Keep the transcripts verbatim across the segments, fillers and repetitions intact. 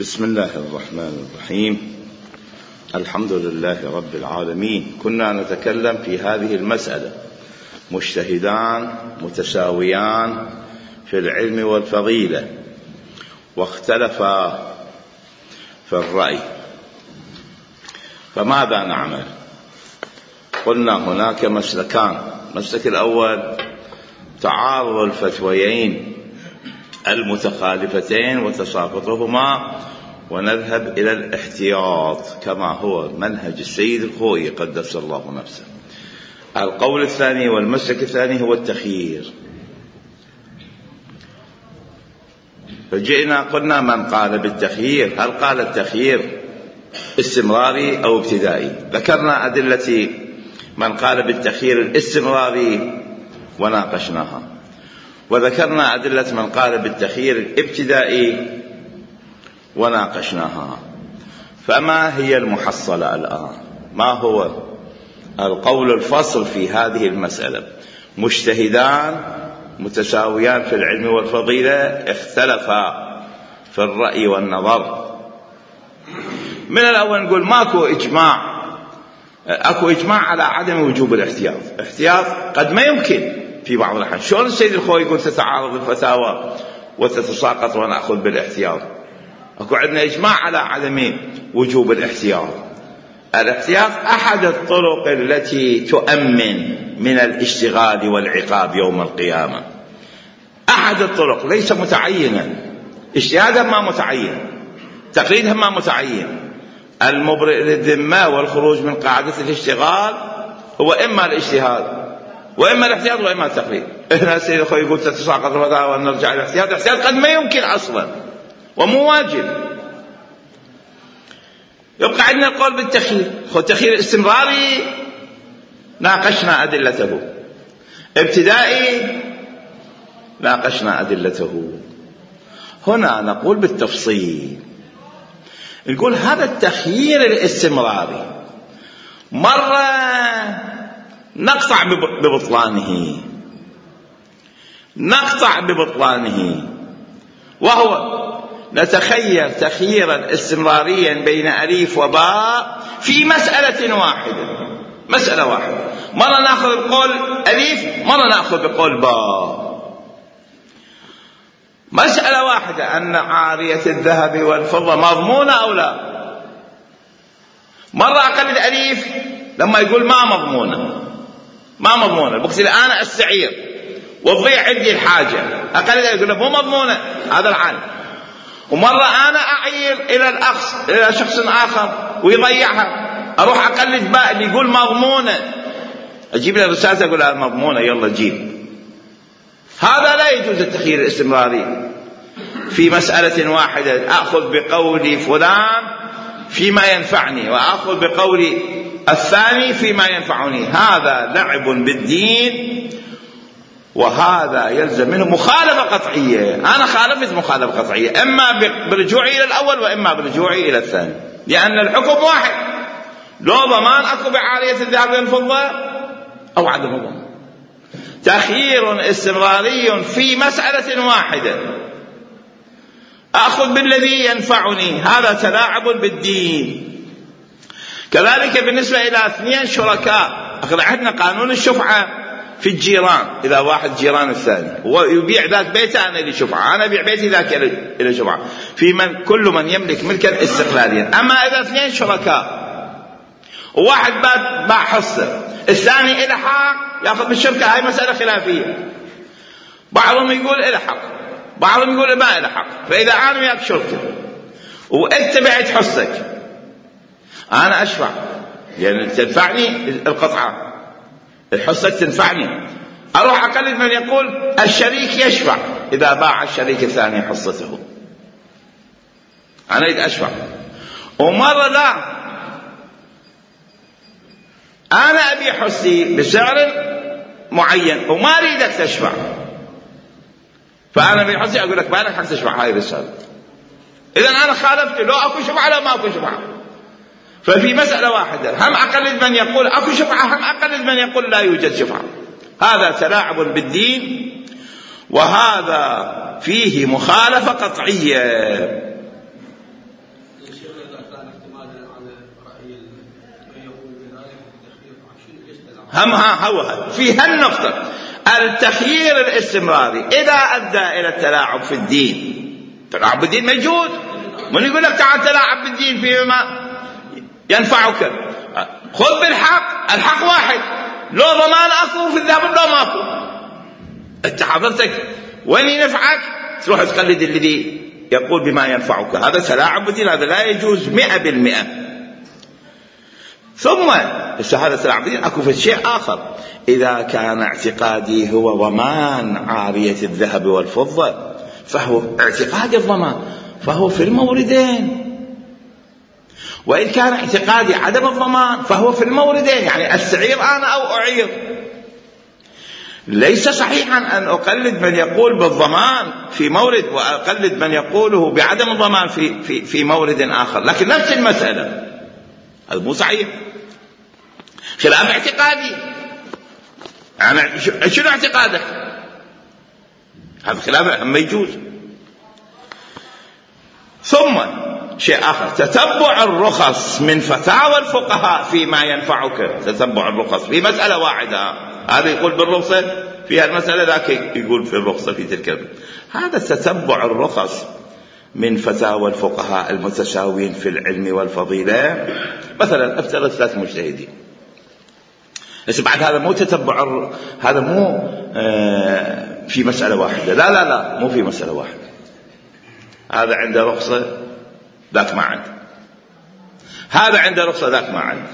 بسم الله الرحمن الرحيم. الحمد لله رب العالمين. كنا نتكلم في هذه المسألة: مجتهدان متساويان في العلم والفضيلة واختلفا في الرأي، فماذا نعمل؟ قلنا هناك مسلكان. المسلك الأول تعارض الفتويين المتخالفتين وتساقطهما، ونذهب إلى الاحتياط كما هو منهج السيد الخوئي قدس الله نفسه. القول الثاني والمسلك الثاني هو التخيير. فجئنا قلنا من قال بالتخيير، هل قال التخيير استمراري أو ابتدائي؟ ذكرنا أدلة من قال بالتخيير الاستمراري وناقشناها، وذكرنا أدلة من قال بالتخيير الابتدائي وناقشناها. فما هي المحصلة الآن؟ ما هو القول الفصل في هذه المسألة؟ مجتهدان متساويان في العلم والفضيلة اختلفا في الرأي والنظر. من الأول نقول ماكو إجماع، أكو إجماع على عدم وجوب الاحتياط. احتياط قد ما يمكن في بعض الأحيان. شلون السيد الخوئي يقول تتعارض الفتاوى وتتساقط ونأخذ بالاحتياط؟ أكو عندنا إجماع على عدم وجوب الاحتياط. الاحتياط أحد الطرق التي تؤمن من الاشتغال والعقاب يوم القيامة. أحد الطرق، ليس متعينا. اجتهادا ما متعين، تقليدا ما متعين. المبرئ للذمة والخروج من قاعدة الاشتغال هو إما الاجتهاد وإما الاحتياط وإما التقليد. هنا السيد الخوئي يقول تتساقط الفتاوى ونرجع إلى الاحتياط. الاحتياط قد ما يمكن أصلا ومو واجب. يبقى عندنا القول بالتخيير. التخيير الاستمراري ناقشنا أدلته، ابتدائي ناقشنا أدلته. هنا نقول بالتفصيل، نقول هذا التخيير الاستمراري مرة نقطع ببطلانه نقطع ببطلانه وهو نتخير تخييرا استمراريا بين أليف وباء في مسألة واحدة. مسألة واحدة، مرة نأخذ بقول أليف، مرة نأخذ بقول باء. مسألة واحدة، أن عارية الذهب والفضة مضمونة أو لا. مرة أقلد أليف لما يقول ما مضمونة، ما مضمونة، بقصد الآن أستعير وتضيع عندي الحاجة، أقلد يقول له مو مضمونة، هذا العالم. ومرة أنا أعير إلى الأخص إلى شخص آخر ويضيعها، أروح أقلد باء اللي يقول مضمونة، أجيب له رسالة أقول لها مضمونة يلا جيب. هذا لا يجوز التخيير الاستمراري في مسألة واحدة. أخذ بقول فلان فيما ينفعني وأخذ بقول الثاني فيما ينفعني. هذا لعب بالدين، وهذا يلزم منه مخالفة قطعية. أنا خالفت مخالفة قطعية، إما برجوعي إلى الأول وإما برجوعي إلى الثاني، لأن الحكم واحد. لو ضمان أكو بعارية الذهب والفضة أو عدم ضمان. تخيير استمراري في مسألة واحدة، أخذ بالذي ينفعني، هذا تلاعب بالدين. كذلك بالنسبة إلى اثنين شركاء، أخذ عندنا قانون الشفعة في الجيران. إذا واحد جيران الثاني ويبيع ذاك بيته أنا لي شفعة، أنا أبيع بيتي ذاك إلى شفعة، في من كل من يملك ملكا استقلاليا. أما إذا اثنين شركاء وواحد باع حصة، الثاني إلى حق يأخذ بالشركة، هاي مسألة خلافية. بعضهم يقول إلى حق، بعضهم يقول ما إلى حق. فإذا أنا وياك شركة وأنت بعت حصتك، أنا أشفع يعني تنفعني القطعة، الحصة تنفعني، أروح أقلد من يقول الشريك يشفع إذا باع الشريك الثاني حصته، أنا أريد أشفع. ومرة لا، أنا أبي حصتي بسعر معين وما أريدك تشفع، فأنا أبي حصتي أقول لك ما لك حق تشفع هاي الرسالة. إذن أنا خالفت، لو أكو شفعة لو ما أكو شفعة. ففي مسألة واحدة هم أقلد من يقول أكو شفعة، هم أقلد من يقول لا يوجد شفعة. هذا تلاعب بالدين، وهذا فيه مخالفة قطعية. هم ها هو في هالنقطة التخيير الاستمراري إذا أدى إلى التلاعب في الدين. تلاعب بالدين موجود، من يقول لك تعال تلاعب بالدين فيما ينفعك؟ خذ بالحق، الحق واحد، لو ضمان أكو في الذهب لو ماكو. أنت حضرتك وين ينفعك تروح تقلد الذي يقول بما ينفعك، هذا تلاعب بالدين، هذا لا يجوز مئة بالمئة. ثم هذا تلاعب بالدين أكو في شيء آخر، إذا كان اعتقادي هو ضمان عارية الذهب والفضة فهو اعتقادي الضمان فهو في الموردين، وإن كان اعتقادي عدم الضمان فهو في الموردين، يعني أستعير أنا أو أعير. ليس صحيحا أن أقلد من يقول بالضمان في مورد وأقلد من يقوله بعدم الضمان في, في, في مورد آخر، لكن نفس المسألة، هذا مو صحيح، خلاف اعتقادي. أنا شنو اعتقادك؟ هذا خلاف ما يجوز. ثم شيء آخر، تتبع الرخص من فتاوى الفقهاء فيما ينفعك. تتبع الرخص في مسألة واحدة، هذا يقول بالرخصة في المسألة، ذاك يقول في الرخصة في تلك. هذا تتبع الرخص من فتاوى الفقهاء المتساوين في العلم والفضيلة. مثلا افترض ثلاث مجتهدين، بس بعد هذا مو تتبع، هذا مو آه في مسألة واحدة، لا لا لا مو في مسألة واحدة، هذا عنده رخصة ذاك ما عنده، هذا عنده رخصة ذاك ما عنده،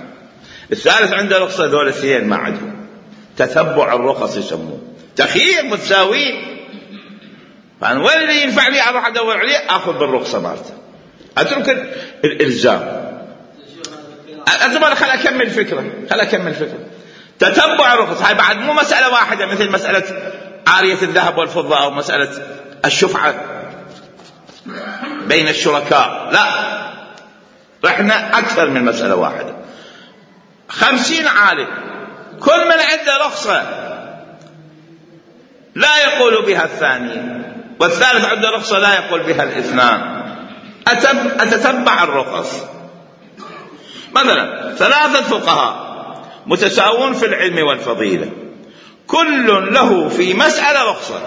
الثالث عنده رخصة ذول الاثنين ما عندهم. تتبع الرخص يسموه تخيير متساوين، فأنا وين اللي ينفع لي أروح أدور عليه أخذ بالرخصة مالته، أترك الإلزام. أتبع خل أكمل فكرة خل أكمل فكرة تتبع الرخص هاي بعد مو مسألة واحدة مثل مسألة عارية الذهب والفضة أو مسألة الشفعة بين الشركاء، لا، رحنا أكثر من مسألة واحدة. خمسين عالم كل من عنده رخصة لا يقول بها الثاني، والثالث عنده رخصة لا يقول بها الاثنان، أتتبع الرخص. مثلا ثلاثة فقهاء متساوون في العلم والفضيلة، كل له في مسألة رخصة،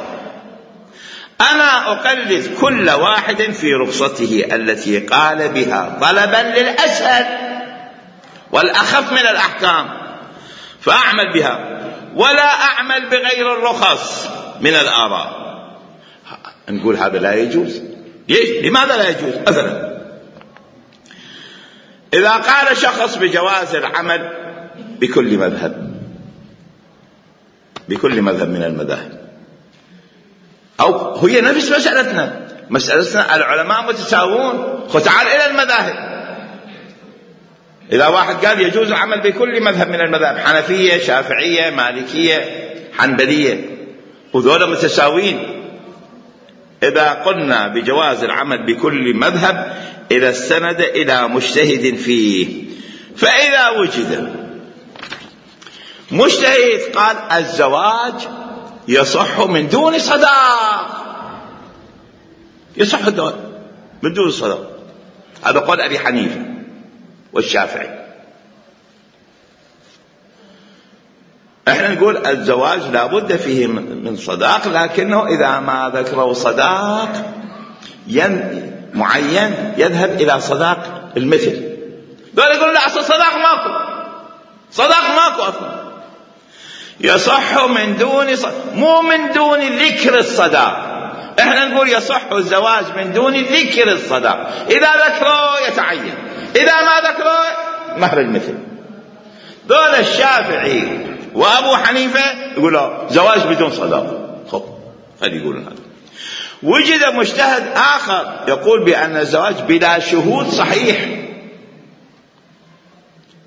أنا أقلد كل واحد في رخصته التي قال بها طلبا للأسهل والأخف من الأحكام فأعمل بها، ولا أعمل بغير الرخص من الآراء. نقول هذا لا يجوز. لماذا لا يجوز؟ مثلا إذا قال شخص بجواز العمل بكل مذهب بكل مذهب من المذاهب، أو هي نفس مسألتنا مسألتنا العلماء متساوون، فتعال إلى المذاهب. إذا واحد قال يجوز العمل بكل مذهب من المذاهب، حنفية شافعية مالكية حنبلية، وذولا متساوين، إذا قلنا بجواز العمل بكل مذهب إذا استند إلى مجتهد فيه، فإذا وجد مجتهد قال الزواج يصح من دون صداق، يصح الزواج من دون صداق، هذا قول أبي حنيفة والشافعي. احنا نقول الزواج لا بد فيه من صداق، لكنه إذا ما ذكروا صداق معين يذهب إلى صداق المثل. دول يقولوا لا أصل صداق ماكو، صداق ماكو أصلا، يصح من دون صداق، مو من دون ذكر الصداق. احنا نقول يصح الزواج من دون ذكر الصداق، إذا ذكروا يتعين، إذا ما ذكروا مهر المثل. دول الشافعي وأبو حنيفة يقولوا زواج بدون صداق. خب خلي يقولون هذا. وجد مجتهد آخر يقول بأن الزواج بلا شهود صحيح،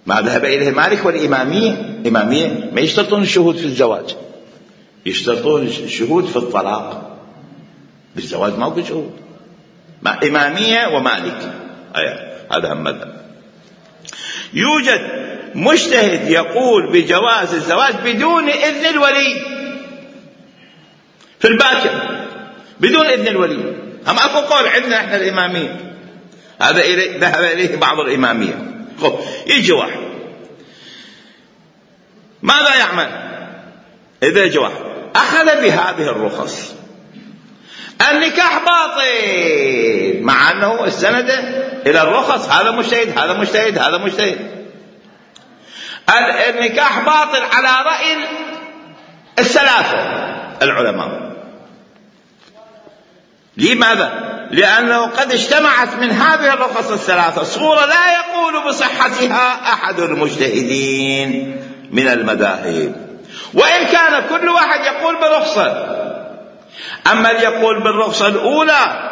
ما ذهب إليه مالك والإمامية. الإمامية ما يشترطون الشهود في الزواج، يشترطون الشهود في الطلاق، بالزواج ما هو شهود. مع إمامية ومالك، هذا هم مذهب. يوجد مجتهد يقول بجواز الزواج بدون إذن الولي في الباكر، بدون إذن الولي. هم أكو قول عندنا إحنا الإمامية، هذا ذهب إليه بعض الإمامية. خب يجي واحد ماذا يعمل؟ إذا يجي واحد أخذ بهذه الرخص، النكاح باطل مع أنه السند إلى الرخص، هذا مجتهد هذا مجتهد هذا مجتهد، النكاح باطل على رأي الثلاثة العلماء. لماذا؟ لأنه قد اجتمعت من هذه الرخص الثلاثة صورة لا يقول بصحتها أحد المجتهدين من المذاهب، وإن كان كل واحد يقول برخصة. أما اللي يقول بالرخصة الأولى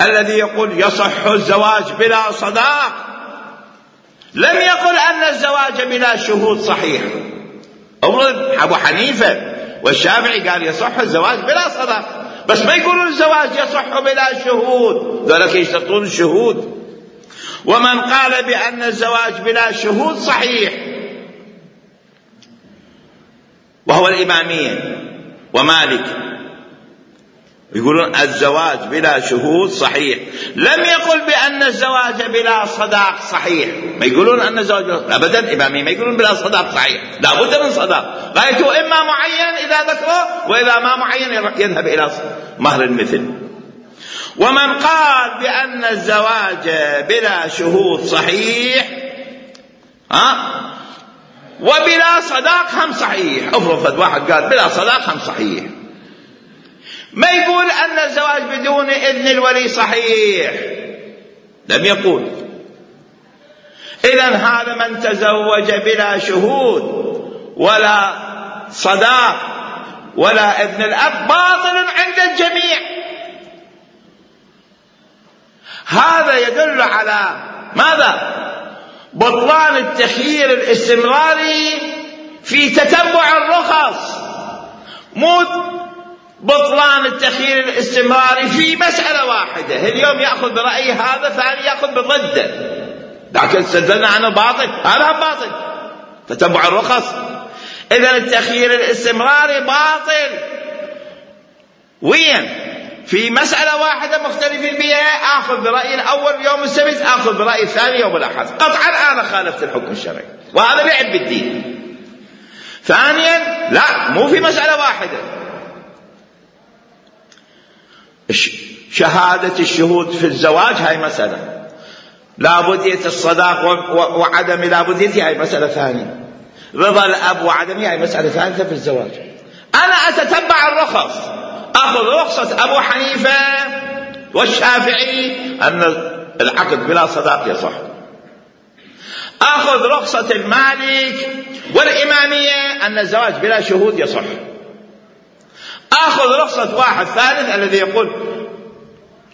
الذي يقول يصح الزواج بلا صداق، لم يقل أن الزواج بلا شهود صحيح. أبو حنيفة والشافعي قال يصح الزواج بلا صداق، بس ما يقولون الزواج يصح بلا شهود، ذلك يشترطون الشهود. ومن قال بأن الزواج بلا شهود صحيح وهو الإمامية ومالك، يقولون الزواج بلا شهود صحيح، لم يقل بأن الزواج بلا صداق صحيح. ما يقولون أن الزواج بلا... أبدا إمامي ما يقولون بلا صداق صحيح، لا بد من صداق، غايته إما معين إذا ذكره، وإذا ما معين يذهب إلى مهر المثل. ومن قال بأن الزواج بلا شهود صحيح ها وبلا صداق هم صحيح، افرض واحد قال بلا صداق هم صحيح، ما يقول أن الزواج بدون إذن الولي صحيح، لم يقول. إذن هذا من تزوج بلا شهود ولا صداق ولا إذن الأب باطل عند الجميع. هذا يدل على ماذا؟ بطلان التخيير الاستمراري في تتبع الرخص، مو بطلان التخيير الاستمراري في مسألة واحدة. اليوم يأخذ برأي هذا، ثاني يأخذ بضده، لكن استدلنا عنه باطل، هذا باطل تتبع الرخص. إذن التخيير الاستمراري باطل. وين؟ في مسألة واحدة مختلفين بها، آخذ برأي الأول يوم السبت، آخذ برأي الثاني يوم الأحد، قطعا أنا خالفت الحكم الشرعي، وهذا لعب بالدين. ثانيا لا، مو في مسألة واحدة. شهادة الشهود في الزواج هاي مسألة، لابدية الصداق وعدم لابديته هاي مسألة ثانية، رضا الأب وعدمه هاي مسألة ثالثة في الزواج. أنا أتتبع الرخص، أخذ رخصة أبو حنيفة والشافعي أن العقد بلا صداق يصح، أخذ رخصة المالك والإمامية أن الزواج بلا شهود يصح، أخذ رخصة واحد ثالث الذي يقول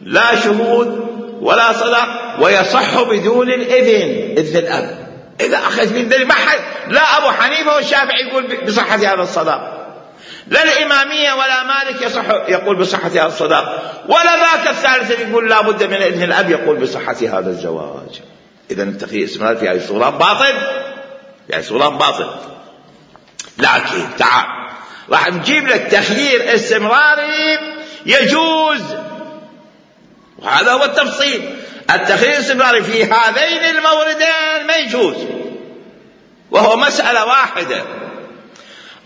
لا شهود ولا صداق ويصح بدون الإذن، إذن الأب. إذا أخذ من ذلك لا أبو حنيفة والشافعي يقول بصحة هذا الصداق، لا الإمامية ولا مالك يصح يقول بصحة هذا الصداق، ولا ذاك الثالث يقول لا بد من إذن الأب يقول بصحة هذا الزواج. إذن التخيير الاستمراري في هذه الصورة باطل، في هذه الصورة باطل. لكن تعال راح نجيب لك تخيير استمراري يجوز، وهذا هو التفصيل. التخيير الاستمراري في هذين الموردين ما يجوز، وهو مسألة واحدة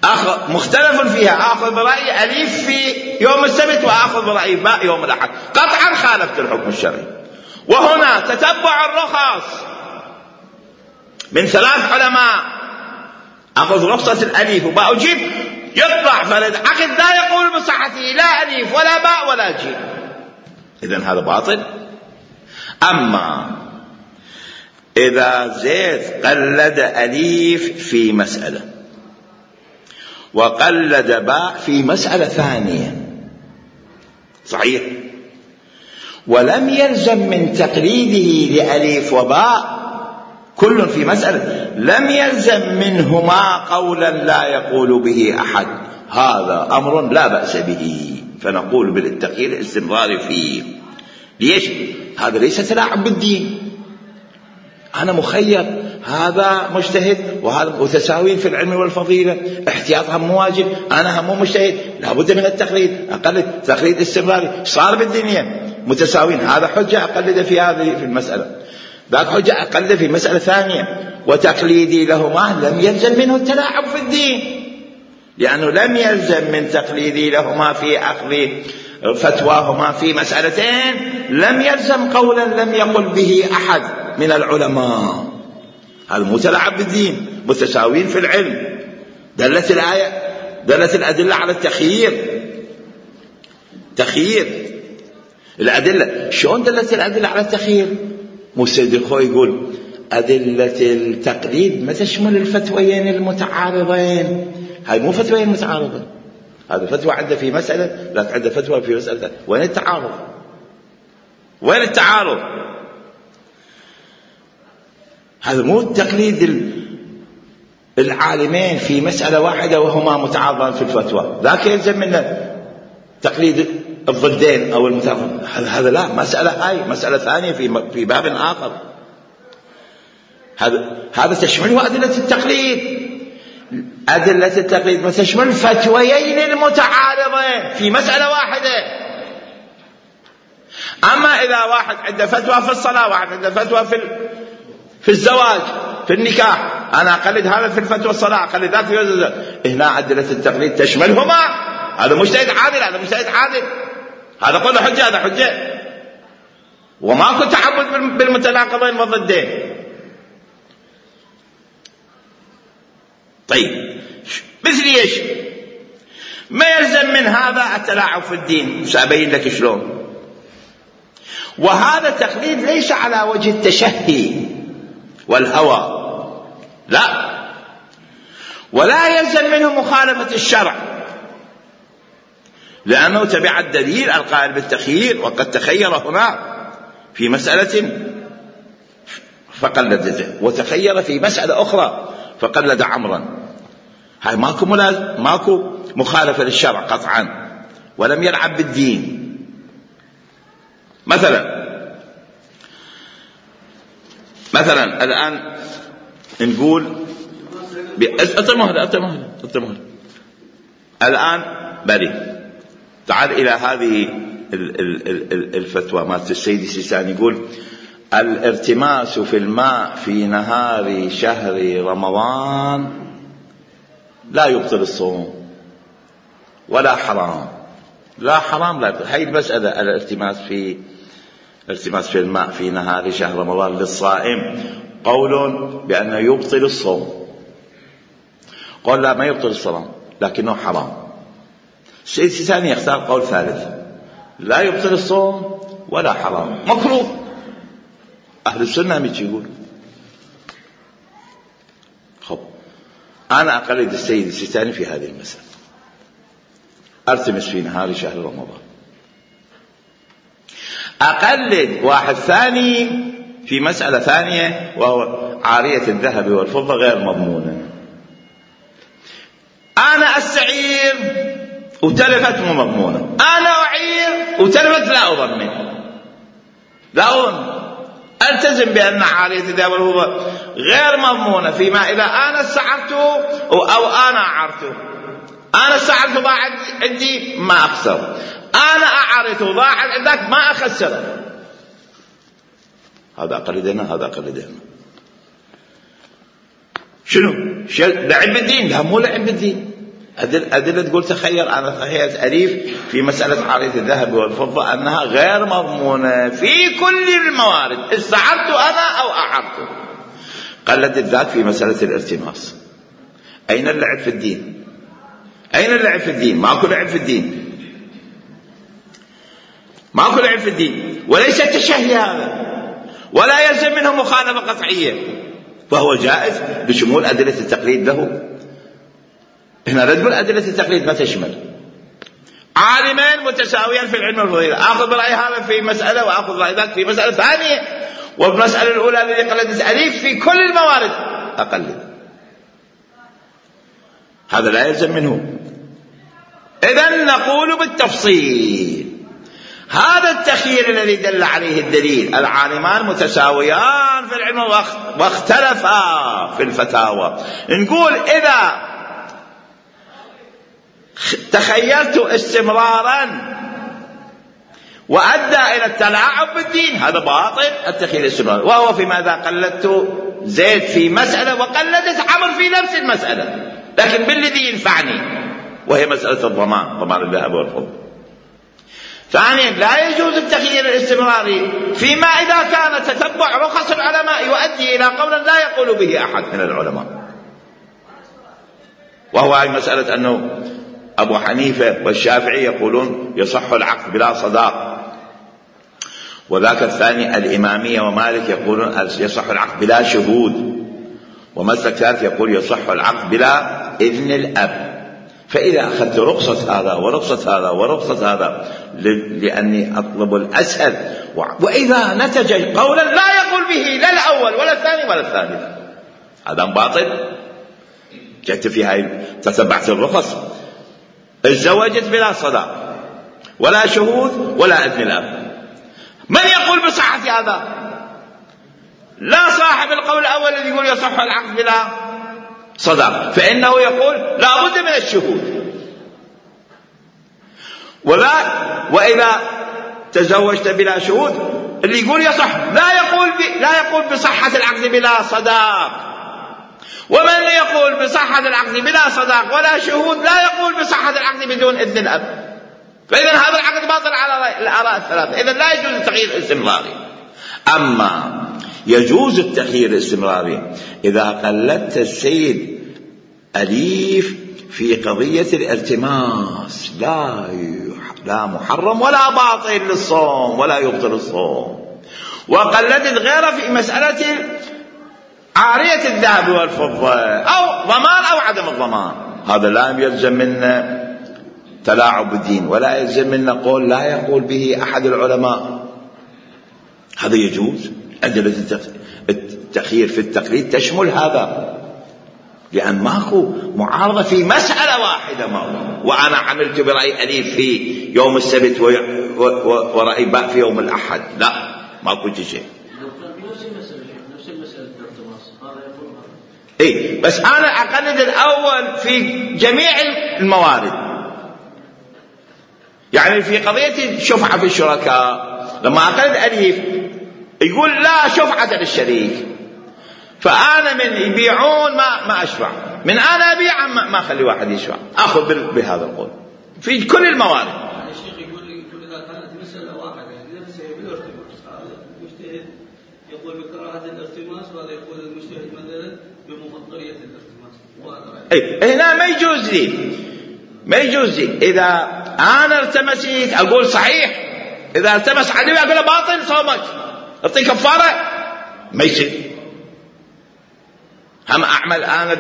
أخذ مختلف فيها، آخذ برأي أليف في يوم السبت وآخذ برأي باء يوم الأحد، قطعا خالفت الحكم الشرعي. وهنا تتبع الرخص من ثلاث علماء، أخذ رخصة الأليف وباء وجيب، يطلع فلد عقد لا يقول بصحته لا أليف ولا باء ولا جيب، إذن هذا باطل. أما إذا زيد قلد أليف في مسألة وقلد باء في مسألة ثانية صحيح، ولم يلزم من تقليده لأليف وباء كل في مسألة، لم يلزم منهما قولا لا يقول به أحد، هذا أمر لا بأس به، فنقول بالتخيير الاستمراري فيه. ليش؟ هذا ليس تلاعب بالدين، أنا مخير، هذا مجتهد وهذا متساويين في العلم والفضيلة، احتياطهم مواجب، أنا هم مجتهد، لابد من التقليد، أقل تقليد استمراري. صار بالدنيا متساوين، هذا حجة أقلد في هذه في المسألة، ذاك حجة أقلد في مسألة ثانية. وتقليدي لهما لم يلزم منه التلاعب في الدين، لأنه لم يلزم من تقليدي لهما في أخذ فتواهما في مسألتين لم يلزم قولا لم يقل به أحد من العلماء. هذا مو تلاعب بالدين، متساوين في العلم. دلت الآية دلت الأدلة على التخيير. تخيير الأدلة، شلون دلت الأدلة على التخيير؟ مو سيد الخوي يقول أدلة التقليد ما تشمل الفتويين المتعارضين. هاي مو فتويين متعارضة، هذا فتوى عنده في مسألة، لا عنده فتوى في مسألة. وين التعارض؟ وين التعارض؟ هذا مو التقليد العالمين في مسألة واحدة وهما متعارضان في الفتوى، ذاك يلزم منه تقليد الضدين أو المتعارض. هذا لا، مسألة هاي مسألة ثانية في في باب آخر. هذا هذا تشمله أدلة التقليد. أدلة التقليد ما تشمل فتويين المتعارضين في مسألة واحدة. أما إذا واحد عنده فتوى في الصلاة، واحد عنده فتوى في في الزواج في النكاح، أنا أقلد هذا في الفتوى الصلاة، أقلد ذاك في الزواج، هنا أدلة التقليد تشملهما. هذا مجتهد عادل، هذا مجتهد عادل، هذا قول حجة، هذا حجة، وماكو تعبد بالمتناقضين والضدين. طيب مثل ايش؟ ما يلزم من هذا التلاعب في الدين، سأبين لك شلون. وهذا التقليد ليس على وجه التشهي والهوى، لا، ولا يلزم منه مخالفة الشرع، لأنه تبع الدليل القائل بالتخيير، وقد تخير هنا في مسألة فقلد زيد، وتخير في مسألة أخرى فقلد عمرا. هاي ماكو ماكو مخالفة للشرع قطعا، ولم يلعب بالدين. مثلا مثلا الآن نقول أتمهل أتمهل أتمهل الآن بري، تعال إلى هذه الفتوى مالت السيد السيستاني، يقول الارتماس في الماء في نهار شهر رمضان لا يبطل الصوم ولا حرام، لا حرام لا يبطل. هاي المسألة الارتماس في الارتماس في الماء في نهار شهر رمضان للصائم قول بأنه يبطل الصوم، قول لا ما يبطل الصوم لكنه حرام. السيد السيستاني يختار قول ثالث، لا يبطل الصوم ولا حرام، مكروه. أهل السنة مش يقول. خب أنا أقلد السيد السيستاني في هذه المسألة، أرتمس في نهار شهر رمضان. أقلد واحد ثاني في مسألة ثانية، وهو عارية الذهب والفضة غير مضمونة. أنا أستعير وتلفت مو مضمونة، أنا أعير وتلفت لا أضمن، لا أضمن، ألتزم بأن عارية الذهب والفضة غير مضمونة فيما إذا أنا استعرته أو أنا أعرته. أنا استعرته ضاع عندي ما أخسر، أنا أعرته ضاع عندك ما أخسر. هذا أقلدنا، هذا أقلدنا. شنو؟ لعب بالدين؟ لا مو لعب بالدين. أدلة تقول تخير، أنا تخيرت أليف في مسألة عارية الذهب والفضة أنها غير مضمونة في كل الموارد، استعرت أنا أو أعرته. قلدت ذاك في مسألة الارتماس. أين اللعب في الدين؟ أين اللعب في الدين؟ ماكو لعب في الدين، ماكو لعب في الدين، وليس التشهي هذا، ولا يلزم منه مخالفة قطعية، فهو جائز بشمول أدلة التقليد له. هنا نقول أدلة التقليد ما تشمل عالمين متساويين في العلم والفضيلة، أخذ برأي هذا في مسألة وأخذ رأي ذاك في مسألة ثانية، والمسألة الأولى التي قلدت أليف في كل الموارد أقلد، هذا لا يلزم منه. إذن نقول بالتفصيل هذا التخيير الذي دل عليه الدليل، العالمان متساويان في العلم واختلفا في الفتاوى. نقول إذا تخيلت استمرارا وأدى إلى التلاعب بالدين، هذا باطل التخيير الاستمراري. وهو فيما إذا قلدت زيد في مسألة وقلدت عمرو في نفس المسألة، لكن بالذي ينفعني، وهي مسألة الضمان، ضمان الذهب والفضة. ثانيا، لا يجوز التخيير الاستمراري فيما إذا كان تتبع رخص العلماء يؤدي إلى قول لا يقول به أحد من العلماء، وهو هذه مسألة أنه أبو حنيفة والشافعي يقولون يصح العقد بلا صداق، وذاك الثاني الإمامية ومالك يقولون يصح العقد بلا شهود، ومسلك ثالث يقول يصح العقد بلا إذن الأب. فإذا أخذت رخصة هذا ورخصة هذا ورخصة هذا لأني أطلب الأسهل، وإذا نتج قولا لا يقول به لا الأول ولا الثاني ولا الثالث، هذا باطل. جئت في هاي تتبعت الرخص، اتزوجت بلا صداق ولا شهود ولا إذن الأب، من يقول بصحة هذا؟ لا صاحب القول الأول الذي يقول يصح العقد بلا صداق، فإنه يقول لا بد من الشهود. ولا وإذا تزوجت بلا شهود اللي يقول يصح لا يقول لا يقول بصحة العقد بلا صداق، ومن يقول بصحة العقد بلا صداق ولا شهود لا يقول بصحة العقد بدون إذن الأب. فإذا هذا العقد باطل على الآراء الثلاثة. إذا لا يجوز التغيير الاستمراري. أما يجوز التغيير الاستمراري إذا قلدت السيد أليف في قضية الالتماس، لا لا محرم ولا باطل للصوم ولا يبطل الصوم، وقلدت غيره في مسألة عارية الذهب والفضة أو ضمان أو عدم الضمان، هذا لا يلزم منا تلاعب بالدين ولا يلزم منا قول لا يقول به أحد العلماء، هذا يجوز. أدلة التخيير في التقليد تشمل هذا، لأن ماكو معارضة في مسألة واحدة، ما وأنا عملت برأي أليف في يوم السبت ورأي باء في يوم الأحد، لا ماكو شيء. إيه بس أنا أقلد الأول في جميع الموارد، يعني في قضية الشفعة في الشركاء لما أقلد أليف يقول لا شفعة للشريك، فأنا من يبيعون ما ما أشفع، من أنا أبيع ما ما أخلي واحد يشفع، أخذ بهذا القول في كل الموارد. يعني الشيخ يقول يقول إذا كانت مسألة واحدة نفسه بالارتباط، هذا المجتهد يقول بكراهة الارتماس، وهذا يقول المجتهد مثلا بمفضلية الارتماس. أي هنا ما يجوز لي ما يجوز لي إذا أنا التمسيت أقول صحيح، إذا التمس عدوي أقول باطل صومك أعطي كفارة، ما يصير. هم أعمل أنا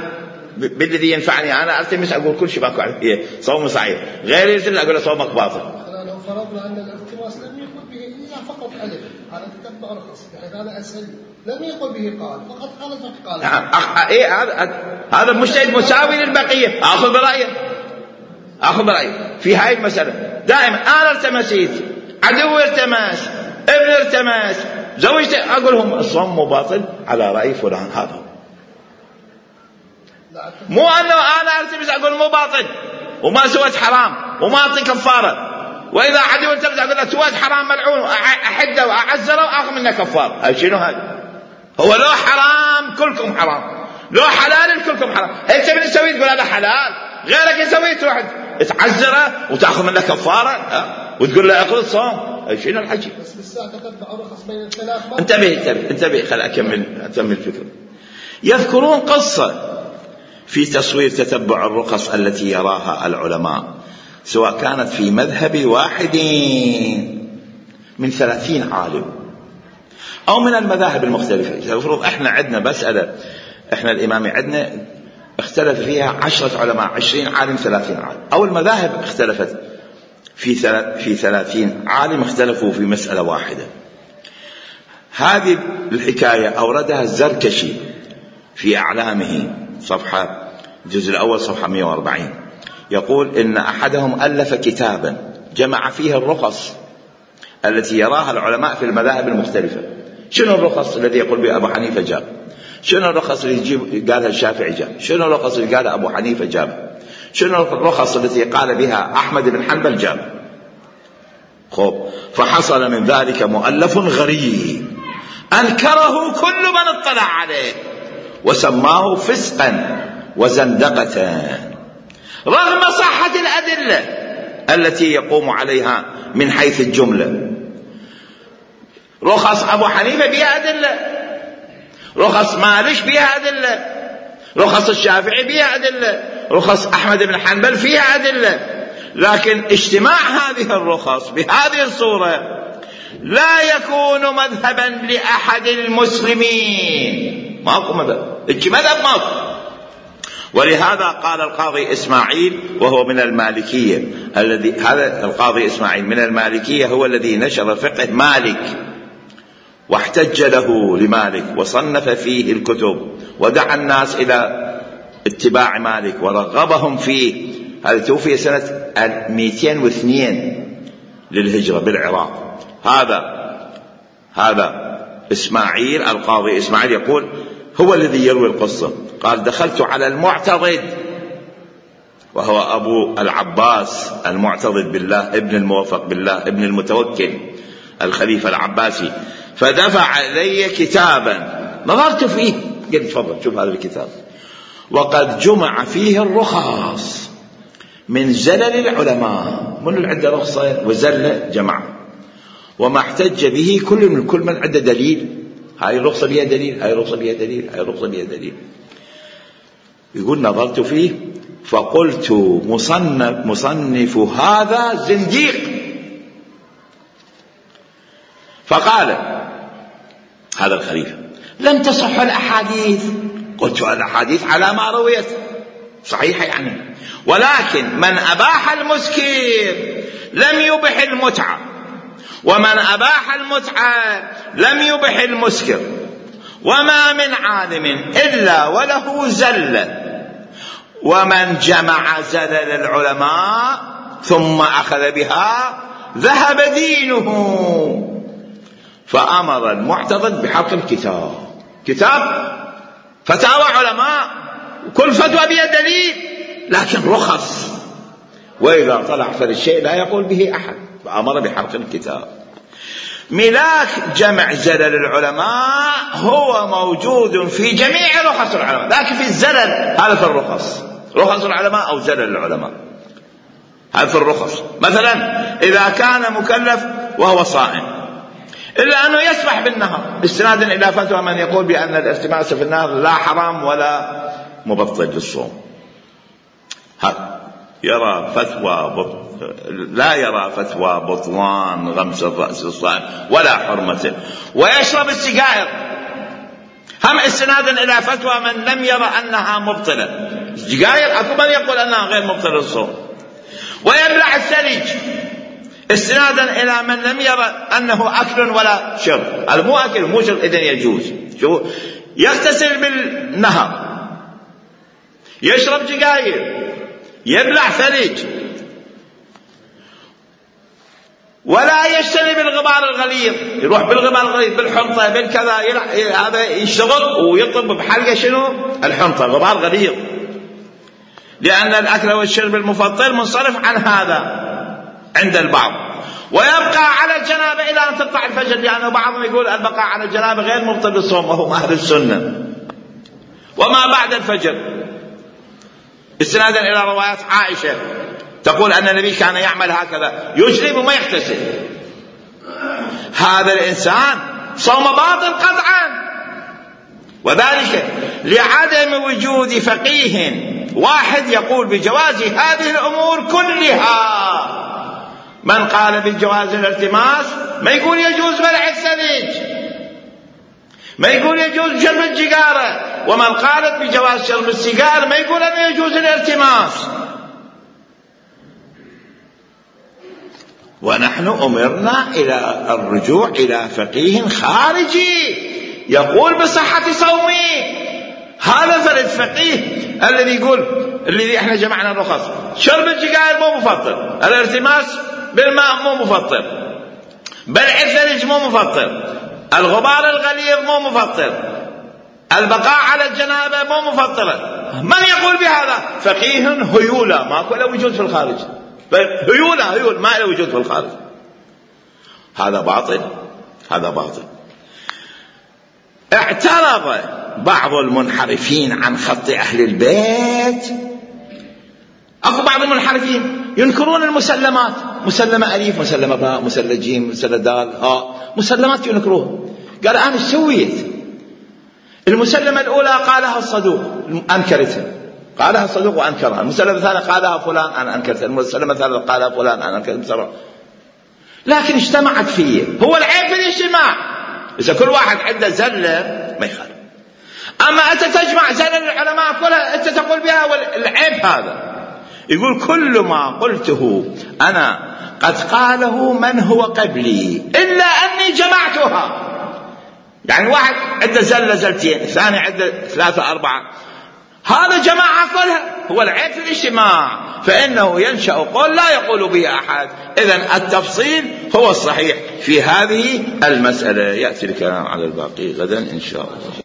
بالذي ينفعني، أنا ألتمس أقول كل شيء باكو عليه صوم صحيح، غير يلتمس أقول صومك باطل. لو فرضنا أن الالتماس لم يقل به إلا فقط ألف على تتبع رخص، بحيث هذا أسهل، لم يقل به قال فقط قال فقال. نعم إيه هذا هذا المجتهد مساوي للبقية، أخذ برأيه أخذ برأيه في هاي المسألة. دائما أنا التمسيت، عدو التماس، ابن التماس، زوجت، أقولهم الصوم باطل على رأي فلان، هذا مو أنه أنا التمس أقول مو باطل وما سويت حرام وما أعطي كفارة، وإذا عدو التمس أقول له سويت حرام ملعون أحده وأعزره وأخذ منه كفارة. هاي شنو هذا؟ هو لو حرام كلكم حرام، لو حلال كلكم حرام. أنت من تسوي تقول هذا حلال، غيرك يسوي تروح تعزره وتأخذ منه كفارة وتقول له أخذ الصوم. أي شنو الحكي؟ بس بالساعة تتبع رخص بين الثلاث. انتبه انتبه انتبه خل أكمل أكمل الفكرة. يذكرون قصة في تصوير تتبع الرخص التي يراها العلماء، سواء كانت في مذهب واحد من ثلاثين عالم أو من المذاهب المختلفة. يفرض إحنا عندنا مسألة، إحنا الإمامي عندنا اختلف فيها عشرة علماء، عشرين عالم، ثلاثين عالم، أو المذاهب اختلفت في في ثلاثين عالم اختلفوا في مسألة واحدة. هذه الحكاية أوردها الزركشي في أعلامه صفحة الجزء الأول صفحة مئة وأربعين، يقول إن أحدهم ألف كتابا جمع فيه الرخص التي يراها العلماء في المذاهب المختلفة. شنو الرخص الذي يقول به أبو حنيفة جاب؟ شنو الرخص اللي يجيب قالها الشافعي جاب؟ شنو الرخص اللي قالها أبو حنيفة جاب؟ شنو الرخص التي قال بها أحمد بن حنبل جاب؟ خب فحصل من ذلك مؤلف غريب أنكره كل من اطلع عليه وسماه فسقا وزندقة رغم صحة الأدلة التي يقوم عليها من حيث الجملة. رخص أبو حنيفة بها أدلة، رخص مالك بها أدلة، رخص الشافعي بها أدلة، رخص أحمد بن حنبل فيها أدلة، لكن اجتماع هذه الرخص بهذه الصورة لا يكون مذهبا لأحد المسلمين. ماكو مذهب، اجي مذهب ماكو. ولهذا قال القاضي إسماعيل وهو من المالكية، الذي هذا القاضي إسماعيل من المالكية هو الذي نشر فقه مالك واحتج له لمالك وصنف فيه الكتب ودعا الناس إلى اتباع مالك ورغبهم فيه. هذا توفي سنة مئتين واثنين للهجرة بالعراق. هذا هذا إسماعيل القاضي إسماعيل يقول هو الذي يروي القصة. قال دخلت على المعتضد وهو أبو العباس المعتضد بالله ابن الموفق بالله ابن المتوكل الخليفة العباسي، فدفع إلي كتابا نظرت فيه قلت تفضل شوف هذا الكتاب، وقد جمع فيه الرخص من زلل العلماء، من اللي عنده رخصة وزلة جمع، وما احتج به كل من كل من عنده دليل. هاي الرخصة بها دليل، هاي الرخصة بها دليل، هاي الرخصة بها دليل. يقول نظرت فيه فقلت مصنف, مصنف هذا زنديق. فقال هذا الخليفة لم تصح الأحاديث. قلت الأحاديث على ما رويت صحيحة يعني، ولكن من أباح المسكر لم يبح المتعة، ومن أباح المتعة لم يبح المسكر، وما من عالم إلا وله زلة، ومن جمع زلل العلماء ثم أخذ بها ذهب دينه. فأمر المعتضد بحرق الكتاب، كتاب فتاوى علماء وكل فتوى بها دليل لكن رخص، وإذا طلع فالشيء لا يقول به أحد، فأمر بحرق الكتاب. ملاك جمع زلل العلماء هو موجود في جميع رخص العلماء، لكن في الزلل هذا في الرخص، رخص العلماء أو زلل العلماء هذا في الرخص. مثلا إذا كان مكلف وهو صائم إلا أنه يسبح بالنهر استنادا إلى فتوى من يقول بأن الارتماس في النهر لا حرام ولا مبطل للصوم، هذا يرى فتوى بط... لا يرى فتوى بطلان غمس الرأس الصائم ولا حرمته، ويشرب السجائر هم استنادا إلى فتوى من لم يرى أنها مبطلة. السجائر أكو من يقول أنها غير مبطلة للصوم، ويبلع الثلج استنادا إلى من لم يرى أنه أكل ولا شرب. هذا مو أكل مو شرب إذن يجوز. شو يغتسل بالنهر، يشرب سجائر، يبلع ثلج، ولا يجتنب الغبار الغليظ، يروح بالغبار الغليظ بالحنطة بالكذا، هذا يشتغل ويطلب بحلقة شنو الحنطة غبار غليظ، لأن الأكل والشرب المفطر منصرف عن هذا عند البعض. ويبقى على الجنابة إلى أن تطلع الفجر، لأنه بعضهم يقول البقاء على الجنابة غير مبطل للصوم وهم أهل السنة. وما بعد الفجر استنادا إلى روايات عائشة تقول أن النبي كان يعمل هكذا، يجلب وما يغتسل. هذا الإنسان صوم باطل قطعا، وذلك لعدم وجود فقيه واحد يقول بجواز هذه الأمور كلها. من قال بالجواز الالتماس ما يقول يجوز بلع الثلج، ما يقول يجوز شرب السيجارة، ومن قالت بجواز شرب السيجار ما يقول أنه يجوز الالتماس. ونحن أمرنا إلى الرجوع إلى فقيه خارجي يقول بصحة صومي. هذا فرد فقيه الذي يقول الذي احنا جمعنا الرخص، شرب السجائر مو مفطر، الارتماس بالماء مو مفطر، بلع الثلج مو مفطر، الغبار الغليظ مو مفطر، البقاء على الجنابة مو مفطرة. من يقول بهذا؟ فقيه هيولة، ما له وجود في الخارج، هيولة هيول ما له وجود في الخارج. هذا باطل، هذا باطل. اعترض بعض المنحرفين عن خط أهل البيت. أكو بعض المنحرفين ينكرون المسلمات، مسلمة أليف، مسلمة باء، مسلمة جيم، مسلمة دال، ها مسلمات ينكروها. قال أنا سويت المسلمة الأولى قالها الصدوق أنكرتها، قالها الصدوق وأنكرها. المسلمة الثانية قالها فلان أنا أنكرتها، المسلمة الثالثة قالها فلان أنا أنكرتها. لكن اجتمعت فيه. هو العيب في الاجتماع. إذا كل واحد عنده زلة ما يخالف. أما أنت تجمع زلل العلماء كلها أنت تقول بها والعيب هذا. يقول كل ما قلته أنا قد قاله من هو قبلي إلا أني جمعتها. يعني واحد عنده زلة زلتين، الثاني عنده ثلاثة أربعة، هذا جماعة كلها. هو العيب في الاجتماع، فإنه ينشأ قول لا يقول به أحد. إذن التفصيل هو الصحيح في هذه المسألة. يأتي الكلام على الباقي غدا إن شاء الله.